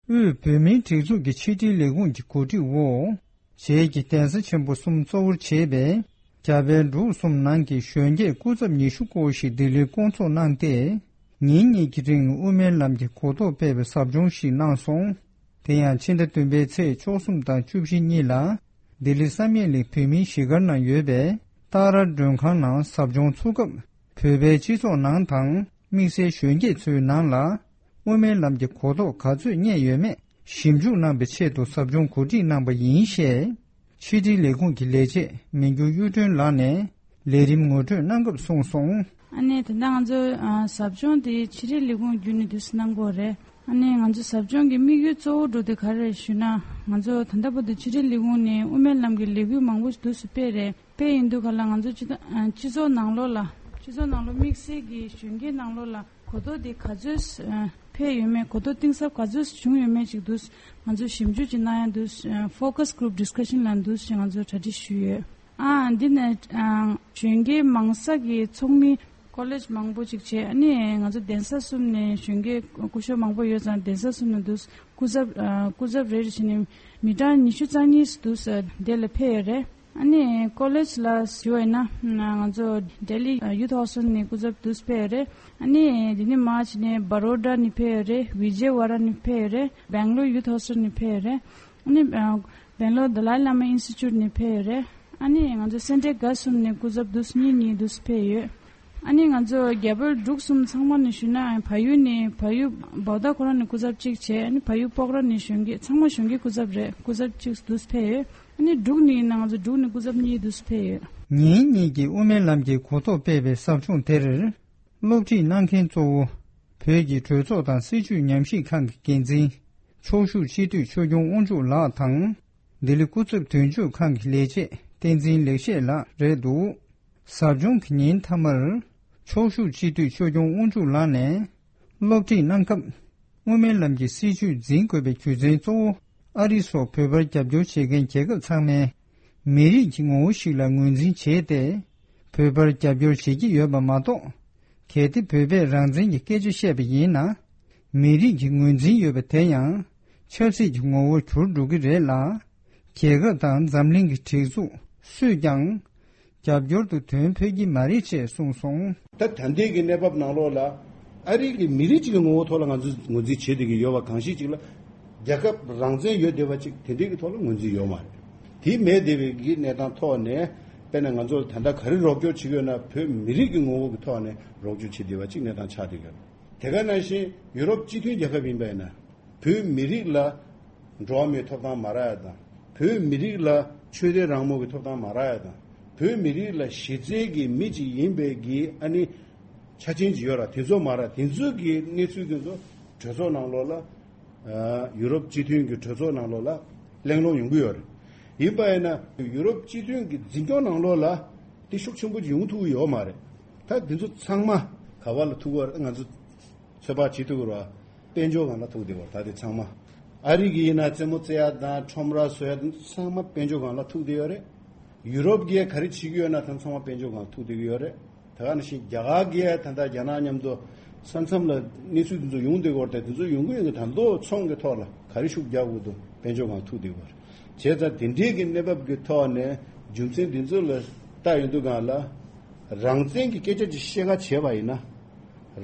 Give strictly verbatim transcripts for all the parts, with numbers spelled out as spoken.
དབུས་བོད་མིའི་སྒྲིག་འཛུགས་ཀྱི་ཕྱི་དྲིལ་ལས་ཁུངས་ཀྱི་གོ་སྒྲིག་འོག་བྱེས་ཀྱི་གདན་ས་ཆེན་པོ་གསུམ་གཙོ་བོར་བྱས་པའི་རྒྱ་བལ་འབྲུག་གསུམ་ནང་གི་གཞོན་སྐྱེས་སྐུ་ཚབ་ཉི་ཤུ་སྐོར་ཞིག་ལྡི་ལིར་བསྐོང་ཚོགས་གནང་སྟེ། ཉིན་གཉིས་ཀྱི་རིང་དབུ་མའི་ལམ་གྱི་གོ་རྟོགས་སྤེལ་བའི་ཟབ་སྦྱོང་ཞིག་གནང་སོང་། དེ་ཡང་ཕྱི་ཟླ་བདུན་པའི་ཚེས་བཅུ་གསུམ་དང་བཅུ་བཞི་གཉིས་ལ་ལྡི་ལི་བསམ་ཡས་གླིང་བོད་མིའི་གཞིས་སྒར་ནང་ཡོད་པའི་ཏཱ་ར་མགྲོན་ཁང་ནང་ཟབ་སྦྱོང་ཚུགས་སྐབས། བོད་པའི་སྤྱི་ཚོགས་ནང་དང་དམིགས་བསལ་གཞོན་སྐྱེས་ཚོའི་ནང་ལ་དབུ་མའི་ལམ་གྱི་གོ་རྟོགས་ག་ཚོད་རྙེད་ཡོད་མེད་ཞིབ་འཇུག་གནང་བའི་ཆེད་དུ་ཟབ་སྦྱོང་གོ་སྒྲིག་གནང་པ་ཡིན་ཞེས། ཕྱི་དྲིལ་ལས་ཁུངས་ཀྱི་ལས་བྱེད་མི་འགྱུར་གཡུ་སྒྲོན་ལགས་ནས་ལས་རིམ་ངོ་སྤྲོད་གནང་སྐབས་གསུངས་སོང་། ཨ་ནི་ད་ལྟ་ང་ཚོ་ཨ་ཟབ་སྦྱོང་དེ་ཕྱི་དྲིལ་ལས་ཁུངས་བརྒྱུད་ནས་དུས་སུ་གནང་གི་ཡོད་རེད། ཨ་ནི་ང་ཚོ་ཟབ་སྦྱོང་གི་དམིགས་ཡུལ་གཙོ་བོ་འདྲ་བོ་དེ་ག་རེ་རེད་ཞུས་ན། ང་ཚོ་ད་ལྟ་བར་དུ་ཕྱི་དྲིལ་ལས་ཁུངས་ནས་དབུ་མའི་ལམ་གྱི་ལས་འགུལ་མང་པོ་ཞིག་དུས་སུ་སྤེལ་རེད། དཔེ་ཡིན་དུས་ག་ལ་ང་ཚོ་སྤྱི་ཚོགས་ཨ་སྤྱི་ཚོགས་ནང་ལོགས་ལ། སྤྱི་ཚོགས་ནང་ལོགས་དམིགས་བསལ་གྱི་གཞོན་སྐྱེས་ནང་ལོགས་ལ་གོ་རྟོགས་དེ་ག་ཚོད་ཨ་འཕེལ་ཡོད་མེད། གོ་རྟོགས་གཏིང་ཟབ་ག་ཚོད་བྱུང་ཡོད་མེད་ཅིག་དུས་ང་ཚོ་ཞིབ་འཇུག་ཅིག་གནང་ཡ་དུས། ཨ་focus group discussion ལ་དུས་ཅིག་ང་ཚོ་གྲ་སྒྲིག་ཞུས་ཡོད། ཨ་འདི་ནས་ཨ་གཞོན་སྐྱེས་མང་ས་གི་ཚོགས་མི་ཀོ་ལེཇ་མང་པོ་ཅིག་བྱས། ཨ་ནི་ང་ཚོ་གདན་ས་གསུམ་ནས་གཞོན་སྐྱེས་སྐུ་ཞབས་མང་པོ་ཡོད་ཙང་། གདན་ས་གསུམ་ནས་དུས་སྐུ་ཚབ་ཨ་སྐུ་ཚབ་རེ་རེ་བྱས་ནས་མི་གྲངས་ཉི་ཤུ་རྩ་གཉིས་དུས་དེ་ལ་ཕེབས་ཡོད་རེད། ཨ་ནི་ཀོ་ལེཇ་ལ་ཞུ་བ་ཡིན་ན། ང་ཚོ་ལྡི་ལི་ཡུ་ཐི་ཧོ་སི་ཊལ་ནས་སྐུ་ཚབ་དུས་ཕེབས་ཡོད་རེད། ཨ་ནི་དེ་ནས་མར་བྱས་ནས་བྷ་རོ་ཌ་ནས་ཕེབས་ཡོད་རེད། ཝི་ཇེ་ཝ་ཌ་ནས་ཕེབས་ཡོད་རེད། སྦེང་ལོར་ཡུ་ཐི་ཧོ་སི་ཊལ་ནས་ཕེབས་ཡོད་རེད། ཨ་ནི་སྦེང་ལོར་དཱ་ལའི་བླ་མ་ཨིན་སི་ཊི་ཊུཊ་ནས་ཕེབས་ཡོད་རེད། ཨ་ནི་ང་ཚོ་སེན་ཊར་འགའ་གསུམ་ནས་སྐུ་ཚབ་དུས་གཉིས་གཉིས་དུས་ཕེབས་ཡོད། ཨ་ནི་ང་ཚོ་རྒྱ་བལ་འབྲུག་གསུམ་ཚང་མ་ནས་ཞུས་ན། ཕ་ཡུལ་ནས་ཕ་ཡུལ་བོ་དྷ་ཁོ་རང་ནས་སྐུ་ཚབ་གཅིག་བྱས། ཨ་ནི་ཕ་ཡུལ་སྤོག་ར་ནས་གཞོན་སྐྱེས་ཚང་མ་གཞོན་སྐྱེས་སྐུ་ཚབ་རེད། སྐུ་ཚབ་གཅིག་དུས་ཕེབས་ཡོད། ཨ་ནི་འབྲུག་ནས་ཡིན་ན་ང་ཚོ་འབྲུག་ནས་སྐུ་ཚབ་གཉིས་དུས་ཕེབས་ཡོད། ཉིན་གཉིས་ཀྱི་དབུ་མའི་ལམ་གྱི་གོ་རྟོགས་སྤེལ་བའི་ཟབ་སྦྱོང་དེར། སློབ་ཁྲིད་གནང་མཁན་གཙོ་བོ། བོད་ཀྱི་གྲོས་ཚོགས་དང་སྲིད་བྱུས་ཉམས་ཞིབ་ཁང་གི་འགན་འཛིན། ཕྱོགས་བཞུགས་སྤྱི་འཐུས་ཆོས་སྐྱོང་དབང་ཕྱུག་ལགས་དང་། ལྡི་ལི་སྐུ་ཚབ་དོན་གཅོད་ཁང་གི་ལས་བྱེད་བསྟན་འཛིན་ལེགས་བཤད་ལགས་རེད་འདུག་ཟབ་སྦྱོང་གི་ཉིན་མཐའ་མར། ཕྱོགས་བཞུགས་སྤྱི་འཐུས་ཆོས་སྐྱོང་དབང་ཕྱུག་ལགས་ནས། སློབ་ཁྲིད་གནང་སྐབས། དབུ་མའི་ལམ་གྱི་སྲིད་བྱུས་འཛིན་དགོས་པའི་རྒྱུ་མཚན་གཙོ་བོ། ཨ་རི་སོགས་བོད་པར་རྒྱབ་སྐྱོར་བྱེད་མཁན་རྒྱལ་ཁབ་ཚང་མས། མི་རིགས་ཀྱི་ངོ་བོ་ཞིག་ལ་ངོས་འཛིན་བྱས་ཏེ། བོད་པར་རྒྱབ་སྐྱོར་བྱེད་ཀྱི་ཡོད་པ་མ་གཏོགས། གལ་ཏེ་བོད་པས་རང་བཙན་གྱི་སྐད་ཆ་བཤད་པ་ཡིན་ན། མི་རིགས་ཀྱི་ངོས་འཛིན་ཡོད་པ་དེ་ཡང་། ཆབ་སྲིད་ཀྱི་ངོ་བོར་གྱུར་འགྲོ་གི་རེད་ལ། རྒྱལ་ཁབ་དང་འཛམ་གླིང་གི་སྒྲིག་འཛུགས་སུས་ཀྱང་། རྒྱབ་སྐྱོར་དུ་དོན་ཕེབས་ཀྱི་མ་རེད་ཅེས་གསུངས་སོང་། ད་ད་ལྟའི་གི་གནས་བབ་ནང་ལོགས་ལ། ཨ་རི་གི་མི་རིགས་གཅིག་གི་ངོ་བོ་ཐོག་ལ་ང་ཚོས་ངོས་འཛིན་བྱེད་བསྡད་ཀྱི་ཡོད་པ་གང་ཞིག་ཅིག་ལ། རྒྱལ་ཁབ་རང་བཙན་ཡོད་བསྡད་པ་ཅིག་དེ་འདྲའི་གི་ཐོག་ལ་ངོས་འཛིན་ཡོད་མ་རེད། དེ་མེད་བསྡད་པའི་གི་གནས་སྟངས་ཐོག་ནས། དཔེར་ན་ང་ཚོ་ལ་ད་ལྟ་ག་རེ་རོགས་སྐྱོར་བྱེད་ཀྱི་ཡོད་ན། བོད་མི་རིགས་ཀྱི་ངོ་བོ་གི་ཐོག་ནས་རོགས་སྐྱོར་བྱེད་བསྡད་པ་ཅིག་གནས་སྟངས་ཆགས་བསྡད་ཀྱི་ཡོད་རེད། དེ་ག་ནང་བཞིན་ཡུ་རོབ་སྤྱི་མཐུན་རྒྱལ་ཁབ་ཡིན་པ་ཡིན་ན། བོད་མི་རིགས་ལ་འགྲོ་བ་མིའི་ཐོབ་ཐང་མ་རག་ཡ་དང་། བོད་མི་རིགས་ལ་ཆོས་དད་རང་མོས་ཀྱི་ཐོབ་ཐང་མ་རག་ཡ་དང་། བོད་མི་རིགས་ལ་གཞི་རྩའི་གི་མི་གཅིག་ཡིན་པའི་གི་ཨ་ནི་ཆ་རྐྱེན་ཅིག་ཡོད་ར། དེ་ཚོ་མ་རག་དེ་ཚོ་གི་གནས་ཚུལ་དེ་ཚོ་གྲོས་ཚོགས་ནང་ལོགས་ལ། ཨ་ཡུ་རོབ་སྤྱི་མཐུན་གྱི་གྲོས་ཚོགས་ནང་ལོགས་ལ་གླེང་སློང་ཡོང་གི་ཡོད་རེད། ཡིན་པ་ཡིན་ན་ཡུ་རོབ་སྤྱི་མཐུན་གྱི་འཛིན་སྐྱོང་ནང་ལོགས་ལ་དེ་ཤུགས་ཆེན་པོ་ཅིག་ཡོང་ཐུབ་ཀྱི་ཡོད་མ་རེད། ད་དེ་ཚོ་ཚང་མ་ག་བ་ལ་ཐུག་གི་ཡོད་རེད། ང་ཚོ་ཚོད་དཔག་བྱེད་ཐུབ་ཀྱི་རེད་བ། དཔལ་འབྱོར་སྒང་ལ་ཐུག་བསྡད་པ་རེད། ད་དེ་ཚང་མ། ཨ་རི་གི་ཡིན་ན་རྩེད་མོ་རྩེ་ཡ་དང་ཁྲོམ་ར་བཟོ་ཡ་དང་ཚང་མ་དཔལ་འབྱོར་སྒང་ལ་ཐུག་བསྡད་ཡོད་རེད། ཡུ་རོབ་གིས་ག་རེ་བྱེད་ཀྱི་ཡོད་ན་ད་ཚང་མ་དཔལ་འབྱོར་སྒང་ཐུག་བསྡད་ཀྱི་ཡོད་རེད། ད་ག་ནང་བཞིན་རྒྱ་གར་གྱིས་ད་ལྟ་རྒྱ་ནག་མཉམ་དུ་ས་མཚམས་ལ་གནས་ཚུལ་དེ་ཚོ་ཡོང་བསྡད་ཡོད་རེད། དེ་ཚོ་ཡོང་གི་ཡོང་གི་ད་མདོ་ཚོང་གི་ཐོག་ལ་ག་རེ་ཤུགས་རྒྱག་དགོས་འདུག་དཔལ་འབྱོར་སྒང་ཐུག་བསྡད་ཡོད་རེད། བྱས་ཙང་དེ་འདྲའི་གི་གནས་བབ་ཀྱི་ཐོག་ནས་རྒྱུ་མཚན་འདི་ཚོ་ལ་ལྟ་ཡོང་དུས་སྒང་ལ། རང་བཙན་གྱི་སྐད་ཆ་ཅིག་བཤད་ག་བྱས་པ་ཡིན་ན།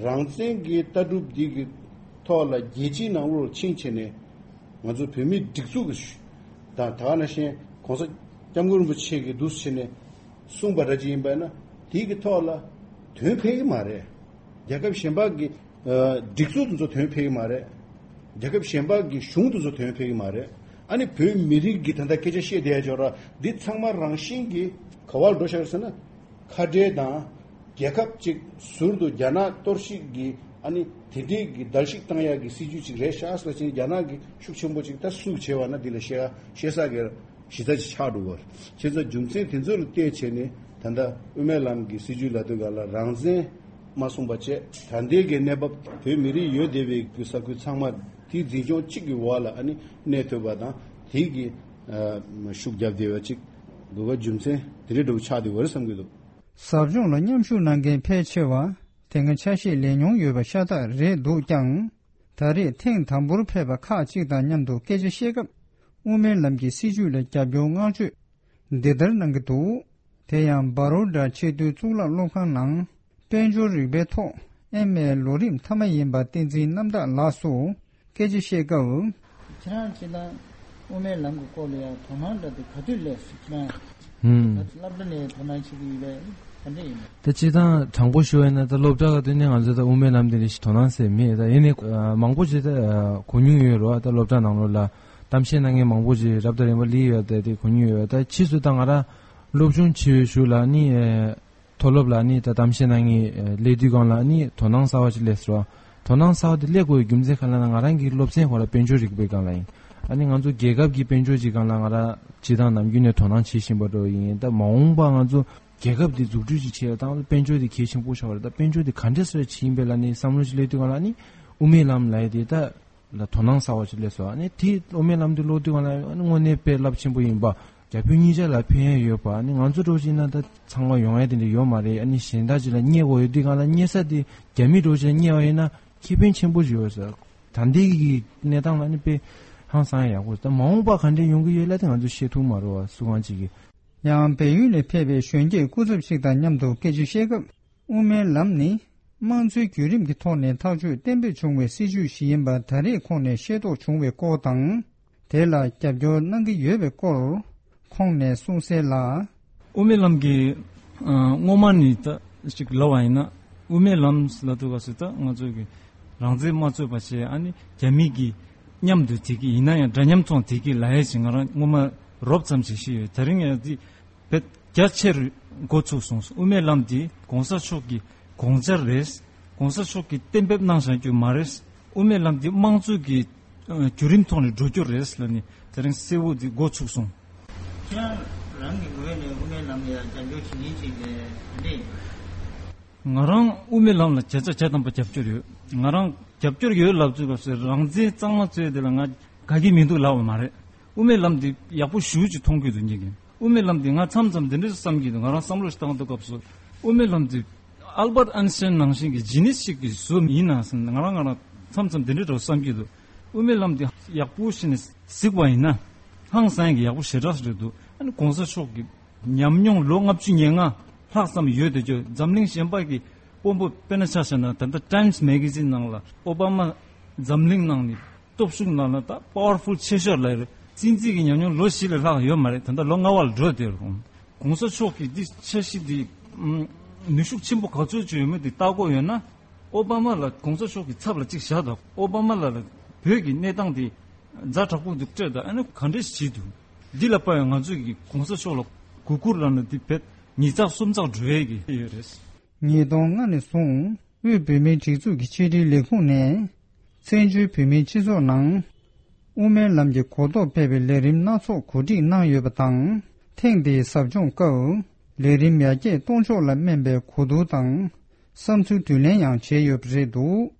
རང་བཙན་གྱི་ལྟ་གྲུབ་འདི་གི་ཐོག་ལ་རྒྱལ་སྤྱིའི་ནང་ལོགས་ཕྱིན་བྱས་ནས་ང་ཚོ་བོད་མིའི་སྒྲིག་འཛུགས་ཀྱི་དང་ད་ག་ནང་བཞིན་གོང་ས་སྐྱབས་མགོན་རིན་པོ་ཆེ་གིས་འདུག་སེ་བྱས་ནས་གསུངས་པ་འདྲ་ཅིག་ཡིན་པ་ཡིན་ན། དེའི་གི་ཐོག་ལ་དོན་ཕེབས་ཀྱི་མ་རེད། རྒྱལ་ཁབ་གཞན་པ་གི་ཨ་སྒྲིག་འཛུགས་དེ་ཚོ་དོན་ཕེབས་ཀྱི་མ་རེད། རྒྱལ་ཁབ་གཞན་པ་གི་གཞུང་དེ་ཚོ་དོན་ཕེབས་ཀྱི་མ་རེད། ཨ་ནི་བོད་མི་རིགས་ཀྱི་ད་ལྟ་སྐད་ཆ་བཤད་བསྡད་ཡ་ཅིག་ཡོད་ར། འདི་ཚང་མ་རང་བཞིན་གྱིས་ག་བ་ལ་འགྲོ་ཤག་ཟེར་ན། ཁ་བྲལ་དང་རྒྱལ་ཁབ་ཅིག་ཟུར་དུ་རྒྱ་ནག་གཏོར་བཤིག་གི་ཨ་ནི་དེ་འདྲའི་གི་བརྡལ་བཤིག་བཏང་ཡག་གི་སྲིད་ཇུས་ཅིག་རེད་ཤག་ཟེར་ལ་ཕྱིན། རྒྱ་ནག་གི་ཤུགས་ཆེན་པོ་ཅིག་ད་སུ་བྱས་པ་ན་འདི་ལ་བཤད་བཤད་ས་གི་གཞི་རྩ་ཅིག་ཆགས་འགྲོ་གི་རེད། བྱས་ཙང་རྒྱུ་མཚན་དེ་ཚོ་ལ་བལྟས་བྱས་ནས་ད་ལྟ་དབུ་མའི་ལམ་གྱི་སྲིད་ཇུས་ལབ་དུས་སྒང་ལ་རང་བཙན་མ་གསུངས་པ་བྱས། ད་ལྟའི་གི་གནས་བབ་བོད་མི་རིགས་ཡོད་བསྡད་པའི་གི་ས་ཁུལ་ཚང་མ་དེའི་འཛིན་སྐྱོང་གཅིག་གི་འོག་ལ་ཨ་ནི་གནས་ཐུབ་པ་དང་། དེའི་གི་ཨ་ཤུགས་རྒྱབ་བསྡད་པ་ཅིག་དགོས་པ་རྒྱུ་མཚན་དེ་འདྲའི་འདྲ་བོ་ཆགས་བསྡད་ཡོད་རེད་བསམ་གྱི་འདུག་ཟབ་སྦྱོང་ལ་མཉམ་ཞུགས་གནང་མཁན་ཕལ་ཆེ་བ་དེ་སྔ་ཆ་ཤས་ལེན་མྱོང་ཡོད་པ་ཤ་སྟག་རེད་འདུག་ཀྱང་། ད་རེས་ཐེངས་དང་པོར་ཕེབས་པ་ཁག་ཅིག་དང་མཉམ་དུ་སྐད་ཆ་བཤད་སྐབས། དབུ་མའི་ལམ་གྱི་སྲིད་བྱུས་ལ་རྒྱབ་སྐྱོར་བསྔགས་བརྗོད་འདི་ལྟར་གནང་གི་འདུག་དེ་ཡང་བ་རོ་ཌ་ཆེས་མཐོའི་གཙུག་ལག་སློབ་ཁང་ནང་དཔལ་འབྱོར་རིག་པའི་ཐོག་ཨེམ་ཨེ་ལོ་རིམ་མཐའ་མ་ཡིན་པ་བསྟན་འཛིན་རྣམ་དག་ལགས་སུ་སྐད་ཆ་བཤད་སྐབས། ཁྱེད་རང་སྤྱིར་བཏང་དབུ་མའི་ལམ་གྱི་སྐོར་ལ་ཡང་དོ་སྣང་འདྲ་དེ་ག་དུས་སླེབས་སོང་ཁྱེད་རང་། ཧུམ། ད་སློབ་གྲྭ་ནས་དོ་སྣང་བྱེད་ཀྱི་ཡོད་པས་ག་འདྲ་ཡིན་ནམ། ད་སྤྱིར་བཏང་དྲང་པོ་ཞུ་བ་ཡིན་ན། ད་སློབ་གྲྭ་ག་དུས་ནས་ང་ཚོ་ད་དབུ་མའི་ལམ་དེ་ལ་ཞིག་དོ་སྣང་ཟེར་མེད། ད་ཡིན་ནའི་མང་པོ་ཞིག་ད་གོ་མྱོང་ཡོད་རེད་བ། ད་སློབ་གྲྭ་ནང་ལོགས་ལ་གཏམ་བཤད་གནང་མཁན་མང་པོ་ཞིག་རབ་དང་རིམ་པ་སླེབས་ཡོད། ད་དེ་གོ་མྱོང་ཡོད། ད་ཕྱིས་སུ་ད་ང་རང་སློབ་སྦྱོང་བྱེད་པའི་གཞུག་ལ་ནི་མཐོ་སློབ་ལ་ནི་ད་གཏམ་བཤད་གནང་མཁན་སླེབས་དུས་སྒང་ལ་ནི་དོ་སྣང་གསར་བ་ཞིག་སླེབས་སོང་། དོ་སྣང་གསར་བ་དེ་སླེབས་དགོས་པའི་རྒྱུ་མཚན་ག་ལ་ན། ང་རང་གི་སློབ་ཚན་ཁོ་ར་དཔལ་འབྱོར་རིག་པའི་སྒང་ལ་ཡིན། ཨ་ནི་ང་ཚོ་རྒྱལ་ཁབ་ཀྱི་དཔལ་འབྱོར་གྱི་སྒང་ལ་ང་རང་སྤྱིར་བཏང་ནམ་རྒྱུན་ནས་དོ་སྣང་བྱེད་བཞིན་པ་འདྲ་ཡིན། ད་མ་འོངས་པ་ང་ཚོ་རྒྱལ་ཁབ་འདི་འཛུགས་སྐྲུན་ཅིག་བྱེད་ཡ་དང་དཔལ་འབྱོར་འདི་གལ་ཆེན་པོ་ཆགས་པ་རེད། ད་དཔལ་འབྱོར་འདི་ག་འདྲས་སེ་བྱེད་ཡིན་པའི་ལ་ནི་བསམ་བློ་ཞིག་སླེབས་དུས་སྒང་ལ་ནི་དབུ་མའི་ལམ་ལབ་ཡ་དེ་ད་ལ་དོ་སྣང་གསར་བ་ཞིག་སླེབས་སོང་། ཨ་ནི་དེ་དབུ་མའི་ལམ་དེ་ཀློག་དུས་སྒང་ལ་ཨ་ནི་དངོས་གནས་དཔེ་རླབས་ཆེན་པོ་ཡིན་པ། རྒྱ་བོད་གཉིས་ཆ་ལ་ཕན་ཡ་ཡོད་པ། ཨ་ནི་ང་ཚོ་འདྲ་བོ་ཞིག་ཡིན་ན་ད་ཚང་མ་ཡོང་ཡ་དེ་འདྲ་ཡོད་མ་རེད། ཨ་ནི་གཞན་དག་ཅིག་ལ་བསྙད་དགོས་ཡོད་དུས་སྒང་ལ་བསྙད་ས་དེ་རྒྱ་མི་འདྲ་བོ་ཞིག་ལ་བསྙད་པ་ཡིན་ན་ཁེ་ཕན་ཆེན་པོ་ཞིག་ཡོད་ས། ད་ལྟའི་གི་གནས་སྟངས་ལ་ནི་དཔེ་ཧང་སང་ཡག་པོ། ད་མ་འོངས་པ་ག་འདྲས་ཡོང་གི་ཡོད་ལབ་དེ་ང་ཚོ་ཤེས་ཐུབ་མ་རེད་བ། སུ་གང་ཅིག་གིས། ཡང་བལ་ཡུལ་ནས་ཕེབས་པའི་གཞོན་སྐྱེས་སྐུ་ཚབ་ཞིག་དང་མཉམ་དུ་སྐད་ཆ་བཤད་སྐབས། དབུ་མའི་ལམ་ནི་དམངས་གཙོའི་བརྒྱུད་རིམ་གྱི་ཐོག་ནས་ཐག་གཅོད་གཏན་འབེབས་བྱུང་བའི་སྲིད་བྱུས་ཤིག་ཡིན་པ་ད་རེས་ཁོང་ནས་ཤེས་རྟོགས་བྱུང་བའི་སྐོར་དང་། དེ་ལ་རྒྱབ་སྐྱོར་གནང་གི་ཡོད་པའི་སྐོར་ཁོང་ནས་གསུངས་གསལ་ལ། དབུ་མའི་ལམ་གྱི་ཨ་སྔོན་མ་ནས་ད་ཅིག་ལབ་པ་ཡིན་ན། དབུ་མའི་ལམ་ལབ་དུས་སྐབས་སུ་ད་ང་ཚོ་གི་རང་བཙན་མ་རྩོད་པ་བྱས། ཨ་ནི་རྒྱ་མི་གི་མཉམ་དུ་བསྡད་ཀྱི་ཡིན་ན་ཡང་འདྲ་མཉམ་ཐོག་བསྡད་ཀྱི་ལབ་ཡ་ཞིག་ང་རང་སྔོན་མ་རོབ་ཙམ་ཞིག་ཤེས་ཡོད། དེ་རིང་ཡང་འདི་བེད་རྒྱ་ཆེར་འགོ་ཚུགས་སོང་། དབུ་མའི་ལམ་འདི་གོང་ས་མཆོག་གི་དགོངས་འཆར་རེད། གོང་ས་མཆོག་གིས་གཏན་འབེབས་གནང་བཞག་རྒྱུ་མ་རེད། དབུ་མའི་ལམ་འདི་དམངས་གཙོ་གི་ཨ་བརྒྱུད་རིམ་ཐོག་ནས་འགྲོ་རྒྱུ་རེད་ལབ་ནས་དེ་རིང་གསལ་བོ་འདི་འགོ་ཚུགས་སོང་། ཁྱེད་རང་རང་གི་ངོས་ནས་དབུ་མའི་ལམ་ལ་ཡང་རྒྱབ་སྐྱོར་བྱེད་མཁན་ཅིག་ལས་ག་འདྲ་ཡིན། ང་རང་དབུ་མའི་ལམ་ལ་བྱས་ཙང་བྱས་དང་པོ་རྒྱབ་སྐྱོར་ཡོད། ང་རང་རྒྱབ་སྐྱོར་ཡོད་ལབ་དུས་སྐབས་སུ་རང་བཙན་གཙང་མ་རྩོད་དེ་ལ་ང་དགའ་གི་མི་འདུག་ལབ་པ་མ་རེད། དབུ་མའི་ལམ་འདི་ཡག་པོ་ཞེ་པོ་ཅིག་མཐོང་གི་འདུག་ངེད་ཀྱིས། དབུ་མའི་ལམ་འདི་ང་མཚམས་མཚམས་འདི་འདྲ་བསམ་གྱི་འདུག་ང་རང་བསམ་བློ་ཞིག་བཏང་དུས་སྐབས་སུ་དབུ་མའི་ལམ་འདི་ཨལ་བར་ཨན་སི་ཊན་ནང་བཞིན་གྱི་ཇི་ནིས་ཞིག་གི་བཟོ་ཡིན་ན་ཟེར་ང་རང་ང་རང་མཚམས་མཚམས་འདི་འདྲ་འདྲ་བསམ་གྱི་འདུག་དབུ་མའི་ལམ་འདི་ཡག་པོ་ཞིག་ནས་གཟིགས་པ་ཡིན་ན་ཧང་སང་གི་ཡག་པོ་ཞེ་དྲག་རེད་འདུག་ཨ་ནི་གོང་ས་མཆོག་གི་ཉམས་མྱོང་ལོ་ལྔ་བཅུ་ང་ལྔ་ལྷག་ཙམ་ཡོད་དེ་ཅོ་འཛམ་གླིང་གཞན་པ་གི་དཔོན་པོ་དཔེར་ན་ཆ་བཞག་ན་ད་ལྟ་ཊའིམ་སི་མེ་ག་ཛིན་ནང་ལ་ཨོ་བྷ་མ་འཛམ་གླིང་ནང་ནས་སྟོབས་ཤུགས་ནང་ལ་ད་པ་ཝར་ཕུལ་ཆེ་ཤོས་ལ་རེད། བཙན་འཛུལ་གྱི་ཉམས་མྱོང་ལོ་བཞི་ལས་ལྷག་ཡོད་མ་རེད། ད་ལྟ་ལོ་ལྔ་པ་ལ་འགྲོ་བསྡད་ཡོད་རེད། གོང་ས་མཆོག་གིས་འདི་འཆར་གཞི་འདི་ནུས་ཤུགས་ཆེན་པོ་ག་ཚོད་ཅིག་ཡོད་མེད་འདི་ལྟ་དགོས་ཡོད་ན། ཨོ་བྷ་མ་ལ་གོང་ས་མཆོག་གི་ཚབ་ལ་གཅིག་བཞག་དང་། ཨོ་བྷ་མ་ལ་ལ་བོད་ཀྱི་གནས་སྟངས་འདི་ཛ་དྲག་པོ་འདུག་སྤྲད་དང་། ཨ་ནི་ག་འདྲས་བྱེད་འདུག་འདི་ལ་དཔག་ཡང་ང་ཚོས་ཀྱི་གོང་ས་མཆོག་ལ་གུས་བཀུར་ལབ་ན་འདི་བེད་ཉིས་ཚགས་གསུམ་ཚགས་འགྲོ་ཡས་ཀྱི་ཡོད་རེད། ཉིས་སྟོང་ལྔ་ནས་བཟུང་དབུས་བོད་མིའི་སྒྲིག་འཛུགས་ཀྱི་ཕྱི་དྲིལ་ལས་ཁུངས་ནས་བཙན་བྱོལ་བོད་མིའི་སྤྱི་ཚོགས་ནང་དབུ་མའི་ལམ་གྱི་གོ་རྟོགས་སྤེལ་བའི་ལས་རིམ་སྣ་ཚོགས་གོ་སྒྲིག་གནང་ཡོད་པ་དང་། ཐེངས་འདིའི་ཟབ་སྦྱོང་སྐབས་ལས་རིམ་ཡར་རྒྱས་གཏོང་ཕྱོགས་ལ་སྨན་པའི་གོ་བསྡུར་དང་བསམ་ཚུལ་དྲིས་ལན་ཡང་བྱས་ཡོད་པ་རེད་འདུག་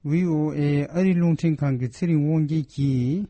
ཝི་ཨོ་ཨེ་ཨ་རི་རླུང་འཕྲིན་ཁང་གི་ཚེ་རིང་དབང་རྒྱལ་གྱིས་